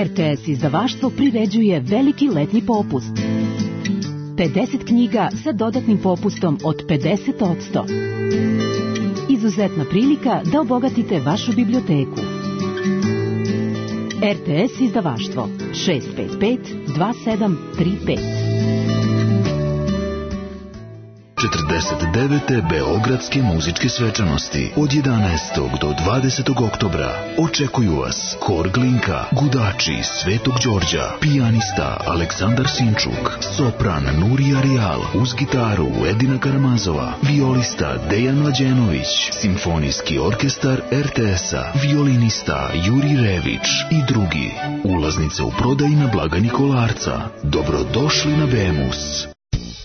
RTS izdavaštvo priređuje veliki letnji popust. 50 knjiga sa dodatnim popustom od 50%. Izuzetna prilika da obogatite vašu biblioteku. RTS izdavaštvo 655 2735. 49. Beogradske muzičke svečanosti od 11. do 20. oktobra očekuju vas Hor Glinka, Gudači Svetog Đorđa, pijanista Aleksandar Sinčuk, sopran Nurija Rijal, uz gitaru Edina Karamazova, violista Dejan Mlađenović, simfonijski orkestar RTS-a, violinista Juri Rević i drugi. Ulaznice u prodaji na blagajni Kolarca. Dobrodošli na Bemus.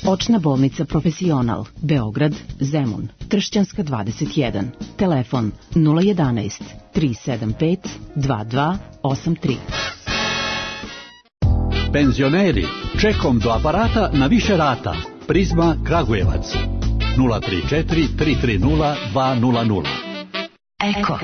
Očna bolnica Profesional, Beograd, Zemun, Tršćanska 21, telefon 011 375 2283. Penzioneri, čekom do aparata na više rata. Prizma Kragujevac 034 330 200. Eko.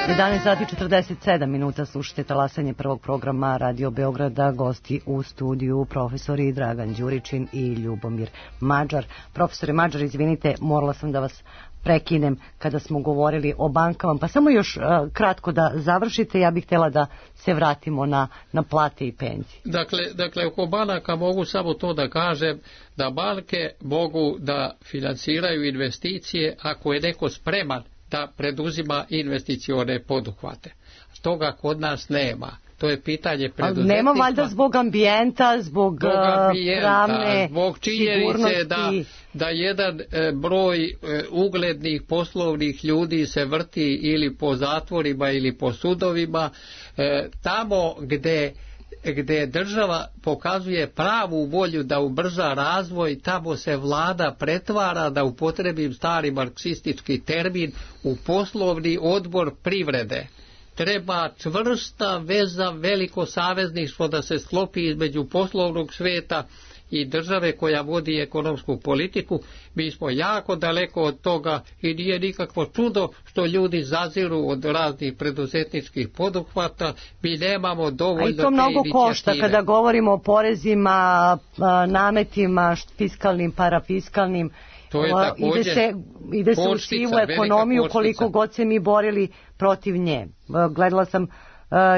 11 sati 47 minuta, slušate talasanje prvog programa Radio Beograda. Gosti u studiju profesori Dragan Đuričin i Ljubomir Mađar. Profesore Mađar, izvinite, morala sam da vas prekinem kada smo govorili o bankama, pa samo još kratko da završite. Ja bih htjela da se vratimo na plate i penzije. Dakle, oko banaka mogu samo to da kažem, da banke mogu da finansiraju investicije ako je neko spreman da preduzima investicione poduhvate. Toga kod nas nema. To je pitanje preduzetništva. Nema valjda zbog ambijenta, zbog pravne zbog činjenice da jedan broj uglednih poslovnih ljudi se vrti ili po zatvorima ili po sudovima. Tamo gdje država pokazuje pravu volju da ubrza razvoj, tamo se vlada pretvara, da upotrebim stari marksistički termin, u poslovni odbor privrede. Treba čvrsta veza, veliko savezništvo da se sklopi između poslovnog sveta i države koja vodi ekonomsku politiku. Mi smo jako daleko od toga i nije nikakvo čudo što ljudi zaziru od raznih preduzetničkih poduhvata. Mi nemamo dovoljno te inicijative. A i to mnogo košta kada govorimo o porezima, nametima, fiskalnim, parafiskalnim. To je također ide se u sivu ekonomiju koliko god se mi borili protiv nje. Gledala sam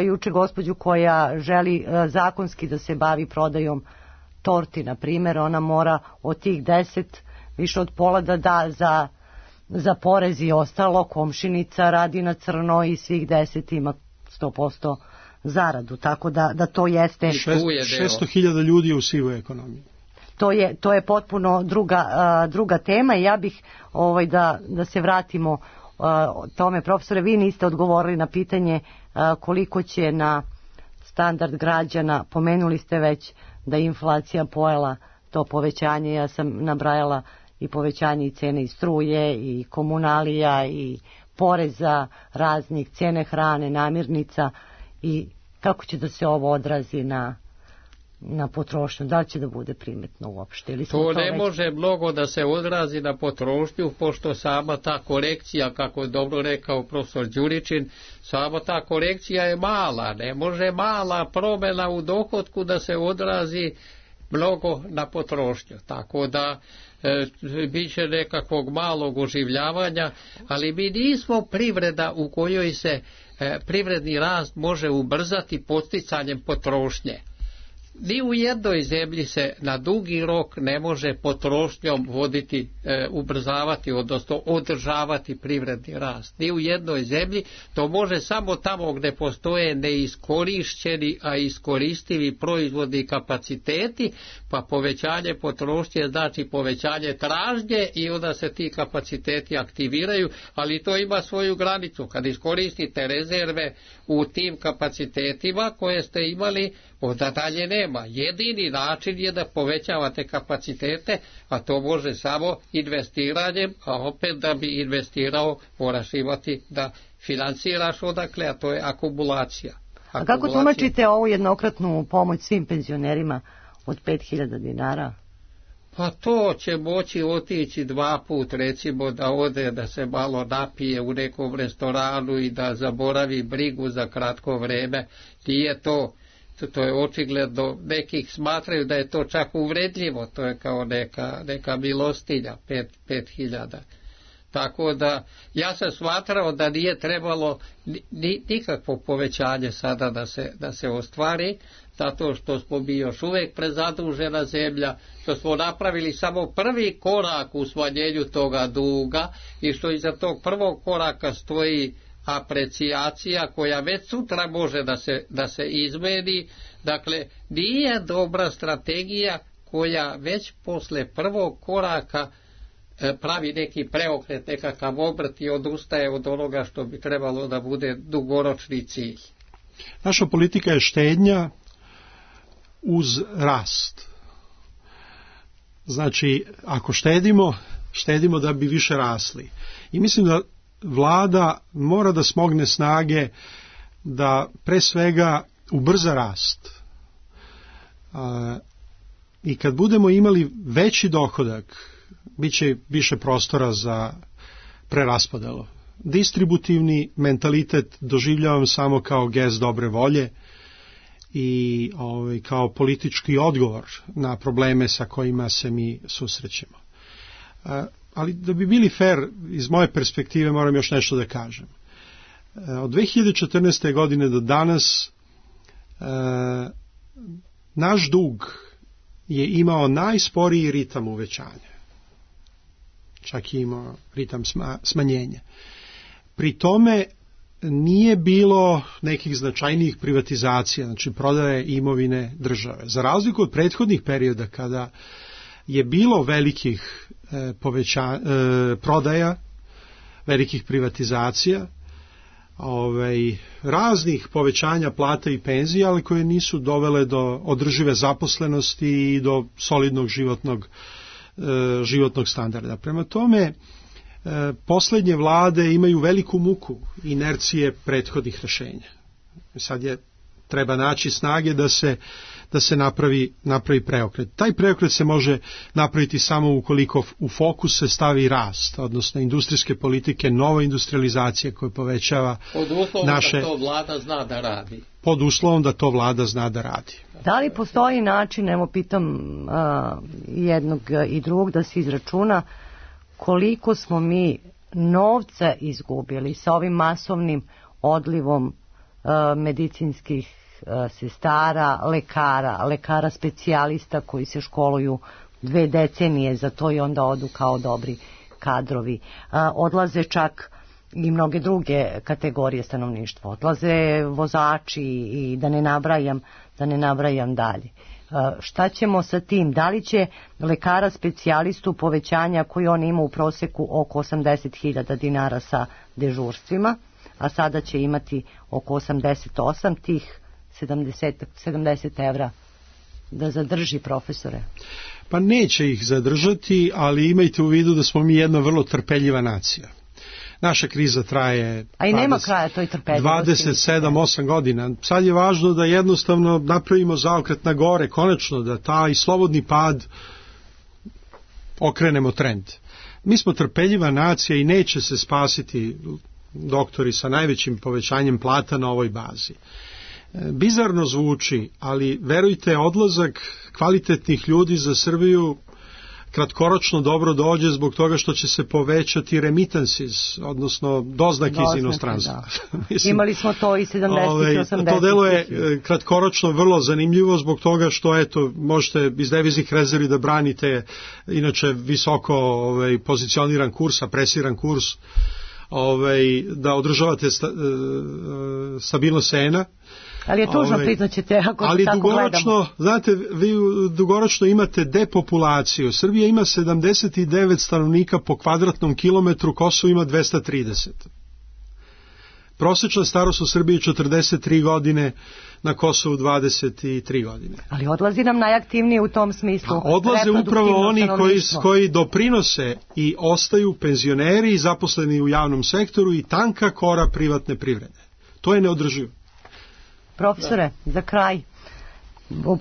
juče gospođu koja želi zakonski da se bavi prodajom torti, na primjer. Ona mora od tih 10 više od pola da da za porez i ostalo. Komšinica radi na crno i svih 10 ima 100% zaradu, tako da to jeste 600.000 ljudi je u sivoj ekonomiji. To je potpuno druga tema i ja bih da se vratimo tome. Profesore, vi niste odgovorili na pitanje koliko će na standard građana, pomenuli ste već da je inflacija pojela to povećanje, ja sam nabrajala i povećanje i cene i struje i komunalija i poreza raznih, cene hrane, namirnica, i kako će da se ovo odrazi na potrošnju, da li će da bude primetno uopšte? To ne može mnogo da se odrazi na potrošnju, pošto sama ta korekcija, kako je dobro rekao profesor Đuričin, sama ta korekcija je mala, ne može mala promjena u dohotku da se odrazi mnogo na potrošnju, tako da bit će nekakvog malog oživljavanja, ali mi nismo privreda u kojoj se privredni rast može ubrzati podsticanjem potrošnje. Ni u jednoj zemlji se na dugi rok ne može potrošnjom voditi, ubrzavati, odnosno održavati privredni rast. Ni u jednoj zemlji, to može samo tamo gdje postoje neiskorišćeni, a iskoristivi proizvodni kapaciteti, pa povećanje potrošnje znači povećanje tražnje i onda se ti kapaciteti aktiviraju, ali to ima svoju granicu. Kad iskoristite rezerve u tim kapacitetima koje ste imali, onda dalje nema. Jedini način je da povećavate kapacitete, a to može samo investiranjem, a opet da bi investirao moraš imati da financiraš odakle, a to je akumulacija. A kako tumačite ovu jednokratnu pomoć svim penzionerima od 5.000 dinara? Pa to će moći otići 2 puta, recimo da ode da se malo napije u nekom restoranu i da zaboravi brigu za kratko vreme. Nije to je očigledno, nekih smatraju da je to čak uvredljivo, to je kao neka milostinja, 5.000. Tako da ja sam smatrao da nije trebalo nikakvo povećanje sada da se ostvari, zato što smo mi još uvijek prezadužena zemlja, što smo napravili samo prvi korak u smanjenju toga duga i što iza tog prvog koraka stoji aprecijacija koja već sutra može da se izmeni. Dakle, nije dobra strategija koja već posle prvog koraka pravi neki preokret, nekakav obrt i odustaje od onoga što bi trebalo da bude dugoročni cilj. Naša politika je štednja uz rast. Znači, ako štedimo da bi više rasli. I mislim da vlada mora da smogne snage da pre svega ubrza rast. I kad budemo imali veći dohodak, bit će više prostora za preraspodelu. Distributivni mentalitet doživljavam samo kao gest dobre volje i kao politički odgovor na probleme sa kojima se mi susrećemo. Ali da bi bili fair, iz moje perspektive moram još nešto da kažem. Od 2014. godine do danas naš dug je imao najsporiji ritam uvećanja. Čak i imao ritam smanjenja. Pri tome nije bilo nekih značajnijih privatizacija, znači prodaje imovine države. Za razliku od prethodnih perioda kada je bilo velikih prodaja, velikih privatizacija, raznih povećanja plata i penzija, ali koje nisu dovele do održive zaposlenosti i do solidnog životnog standarda. Prema tome, poslednje vlade imaju veliku muku inercije prethodnih rešenja. Sad treba naći snage da se napravi preokret. Taj preokret se može napraviti samo ukoliko u fokus se stavi rast, odnosno industrijske politike, nova industrializacija koja povećava naše... Pod uslovom da to vlada zna da radi. Pod uslovom da to vlada zna da radi. Da li postoji način, evo pitam jednog i drugog, da se izračuna koliko smo mi novca izgubili sa ovim masovnim odlivom medicinskih sestara, lekara specijalista koji se školuju 2 decenije za to i onda odu kao dobri kadrovi. Odlaze čak i mnoge druge kategorije stanovništva. Odlaze vozači i da ne nabrajam dalje. Šta ćemo sa tim? Da li će lekara specijalistu povećanja koji on ima u proseku oko 80.000 dinara sa dežurstvima, a sada će imati oko 88, tih 70 evra da zadrži profesore? Pa neće ih zadržati, ali imajte u vidu da smo mi jedna vrlo trpeljiva nacija. Naša kriza traje 27-8 godina. Sad je važno da jednostavno napravimo zaokret na gore, konačno da taj slobodni pad okrenemo trend. Mi smo trpeljiva nacija i neće se spasiti doktori sa najvećim povećanjem plata na ovoj bazi. Bizarno zvuči, ali verujte, odlazak kvalitetnih ljudi za Srbiju kratkoročno dobro dođe zbog toga što će se povećati remittances, odnosno doznake iz inostranstva. Mislim, imali smo to i 70 i 80. To delo je kratkoročno vrlo zanimljivo zbog toga što eto, možete iz deviznih rezervi da branite inače visoko pozicioniran kurs, apresiran kurs, da održavate stabilnost cena. Ali je tužno, priznaćete, ako ali tako gledamo. Znate, vi dugoročno imate depopulaciju. Srbija ima 79 stanovnika po kvadratnom kilometru, Kosovo ima 230. Prosečna starost u Srbiji je 43 godine, na Kosovu 23 godine. Ali odlazi nam najaktivniji u tom smislu. Odlaze upravo oni koji doprinose i ostaju penzioneri i zaposleni u javnom sektoru i tanka kora privatne privrede. To je neodrživo. Profesore, za kraj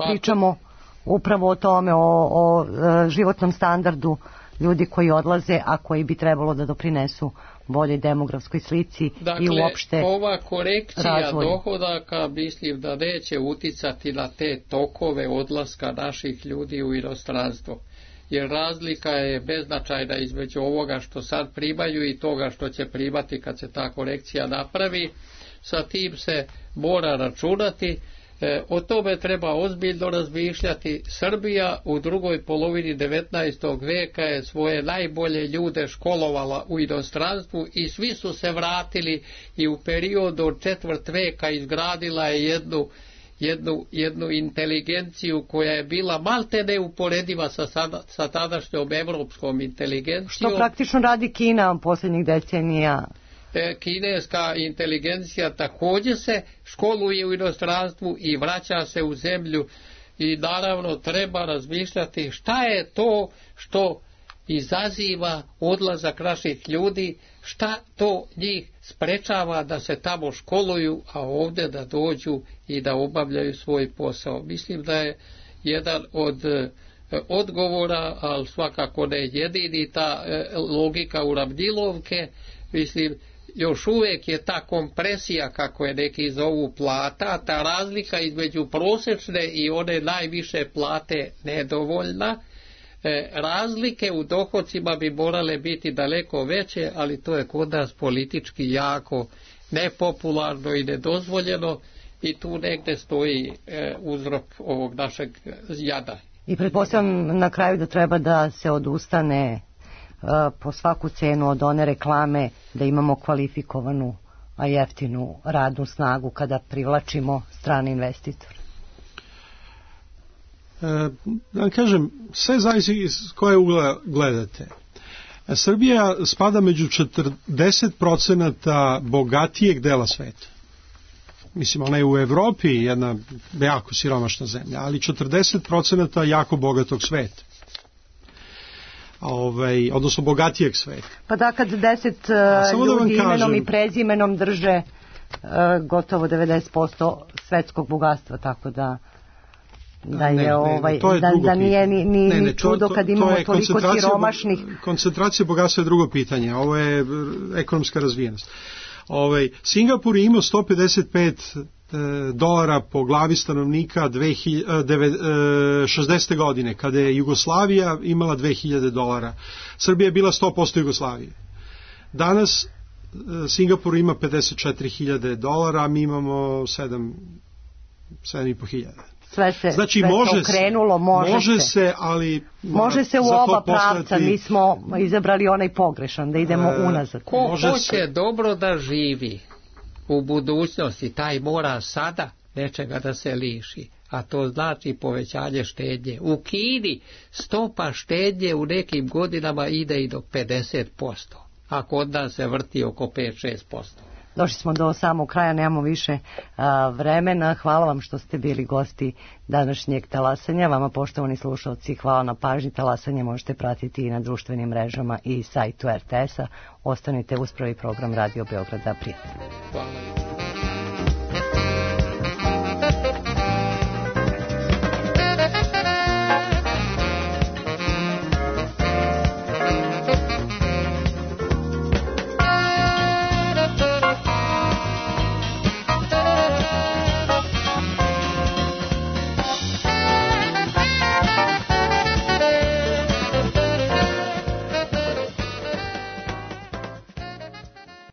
pričamo upravo o tome, o životnom standardu ljudi koji odlaze, a koji bi trebalo da doprinesu boljoj demografskoj slici i uopšte razvoju. Ova korekcija dohodaka mislim da neće uticati na te tokove odlaska naših ljudi u inostranstvo. Jer razlika je beznačajna između ovoga što sad primaju i toga što će primati kad se ta korekcija napravi. Sa tim se mora računati. O tome treba ozbiljno razmišljati. Srbija u drugoj polovini 19. veka je svoje najbolje ljude školovala u inostranstvu i svi su se vratili i u periodu od četvrt veka izgradila je jednu inteligenciju koja je bila malte neuporediva sa tadašnjom evropskom inteligencijom. Što praktično radi Kina posljednjih decenija. Kineska inteligencija također se školuje u inostranstvu i vraća se u zemlju i naravno treba razmišljati šta je to što izaziva odlazak naših ljudi, šta to njih sprečava da se tamo školuju, a ovdje da dođu i da obavljaju svoj posao. Mislim da je jedan od odgovora, ali svakako ne jedini, ta logika uravnilovke. Mislim, još uvijek je ta kompresija, kako je neki zovu, plata, ta razlika između prosječne i one najviše plate nedovoljna. Razlike u dohodcima bi morale biti daleko veće, ali to je kod nas politički jako nepopularno i nedozvoljeno i tu negdje stoji uzrok ovog našeg jada. I pretpostavljam na kraju da treba da se odustane po svaku cenu od one reklame da imamo kvalifikovanu, a jeftinu radnu snagu kada privlačimo strane investitore. Da kažem, sve zavisi iz koje ugla gledate. Srbija spada među 40% bogatijeg dela sveta. Mislim, ona je u Evropi jedna jako siromašna zemlja, ali 40% jako bogatog sveta. Odnosno bogatijeg sveta. Pa da, kad 10 ljudi imenom i prezimenom drže gotovo 90% svetskog bogatstva, tako da nije ni čudo kad imamo toliko siromašnih. Koncentracija bogatstva je drugo pitanje, ovo je ekonomska razvijenost. Singapur je imao $155 po glavi stanovnika 60. godine, kada je Jugoslavija imala $2000. Srbija je bila 100% Jugoslavije. Danas Singapur ima $54.000, a mi imamo 7.500. sve se, znači, sve može se okrenulo, može se, ali može se u oba pravca, mi smo izabrali onaj pogrešan, da idemo unazad. Ko hoće dobro da živi u budućnosti, taj mora sada nečega da se liši, a to znači povećanje štednje. U Kini stopa štednje u nekim godinama ide i do 50%, a kod nas se vrti oko 5-6%. Došli smo do samog kraja, nemamo više vremena. Hvala vam što ste bili gosti današnjeg talasanja. Vama, poštovani slušalci, hvala na pažnji. Talasanje možete pratiti i na društvenim mrežama i sajtu RTS-a. Ostanite uz prvi program Radio Beograda. Prijatno. Hvala.